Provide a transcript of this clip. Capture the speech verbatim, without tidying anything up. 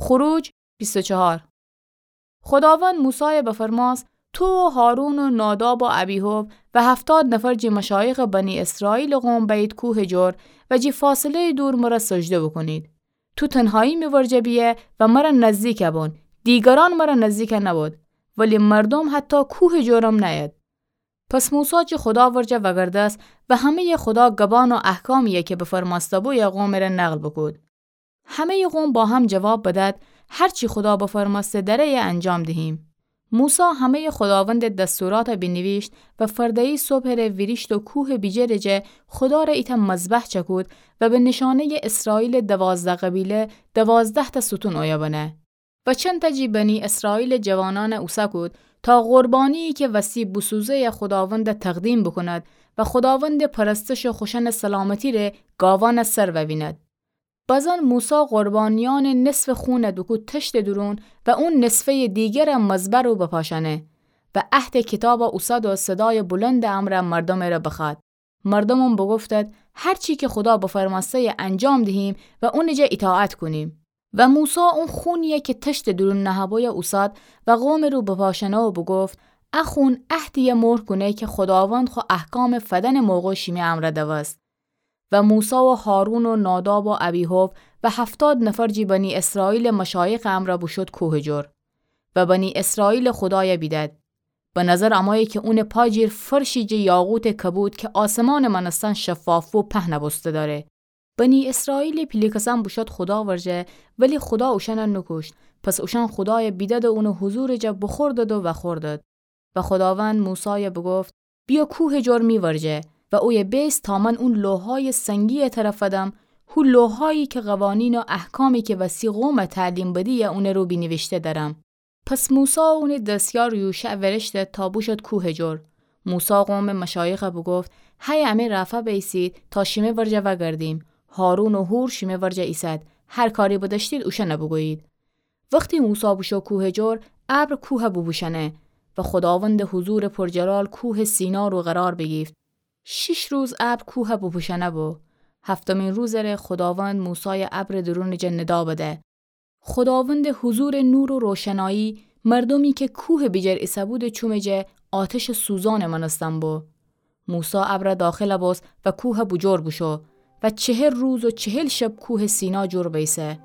خروج بیست و چهار. خداوند موسایَ بفرماس: تو و هارون و ناداب و ابیهوب و هفتاد نفر جی مشایخ بنی اسرائیل قوم بأیید کوه جور و جی فاصله‌یٚ دور مرَ سجده بوکونید. تو تنهایی می ورجه بیه و مرَ نزدیک بون، دیگرأن مرَ نزدیک نبود، ولی مردوم حتی کوه جورم نأید. پس موسی جی خدا ورجه وگردست و همه‌یٚ خدا گبان و احکامی‌یَ کی بفرمأسته‌بویه قومٚ ره نقل بوکود. همه‌یٚ قوم با هم جواب بدأد: هر چی خدا بفرمأسته دره‌یَ انجام دهیم. موسی همه‌یٚ خداوندٚ دستوراتَ بینیویشت و فرده‌یی صبحٚ ره ویریشت و کوهٚ بیجرٚ جا خدا ر ایتأ مذبح چکود و به نیشانه‌یٚ اسرائیلٚ دوازده قبیله دوازده‌تأ ستون اویه بنه. و چندتأ جی بنی اسرائیلٚ جوانأنَ اوسه کود تا قربانی‌یی کی وستی بوسوزه‌یَ خداوندَ تقدیم بوکوند و خداوندٚ پرستشٚ خوشأنٚ سلامتی ره گاوأنَ سر وویند. بزن موسی قربانیأنٚ نصفٚ خونَ دوکود تشتٚ دورون و او نصفه‌یٚ دیگرَ مذبح رو بپاشأنه. و عهدٚ کیتابَ اوسد و صدایٚ بلندٚ امرأ مردومٚ ره بخوأد. مردومم بوگفتد: هر چی کی خدا بفرمأسته‌یَ انجام دهیم و اونٚ جا ایطاعت کونیم. و موسی او خونی‌یَ کی تشتٚ دورون نهه‌بویه اوسد و قومٚ رو بپاشأنه و بوگفت: ا خون عهدی‌یَ مهر کونه کی خداوند خو احکامَ فدأنٚ موقع شیمی امرأ دوست. و موسی و هارون و ناداب و ابیهوب و هفتاد نفر جی بنی اسرائیلٚ مشایخٚ امرأ بوشود کوهٚ جور و بنی اسرائیلٚ خدایَ بیدد. به نظر امویی کی اونٚ پا جیر فرشی جٚه یاقوتٚ کبود کی آسمانٚ مأنستن شفاف بو پهن بوسته دأره. بنی اسرائیلٚ پیله کسأن بوشود خدا ورجه، ولی خدا اوشأنَ نوکوشت. پس اوشأن خدایَ بیدد و اونٚ حضورٚ جا بوخوردد و وأخوردد. و خداوند موسایَ بوگفت: بیا کوهٚ جور می ورجه و اویه بیس تا من او لوحایٚ سنگی‌یَ ترَ فدم، هو لوحایی کی قوانین و احکامی کی وستی قومَ تعلیم بدی‌یَ اونٚ رو بینیویشته دأرم. پس موسی و اونٚ دستیار یوشع ویریشتد تا بوشود کوهٚ جور. موسی قومٚ مشایخَ بوگفت: هی امه رأفا بأیسید تا شیمه ورجه وأگردیم. هارون و حور شیمه ورجه ایسد. هر کاری بدأشتید اوشأنَ بوگویید. وختی موسی بوشو کوهٚ جور، ابر کوهَ بوپوشأنه و خوداوندٚ حضورٚ پرجلال کوهٚ سینا رو قرار بیگیفت. شیش روز ابر کوهَ بوپوشأنه بو. هفتمین روزٚ ره خوداوند موسایَ ابرٚ دورونٚ جا ندا بده. خوداوندٚ حضورٚ نور و روشنایی مردومی کی کوهٚ بیجر ایسه‌بودٚ چومٚ جا آتشٚ سوزانٚ مأنستن بو. موسی ابرَ داخل بوست و کوهَ بوجور بوشو و چهل روز و چهل شب کوهٚ سینا جور بیسه.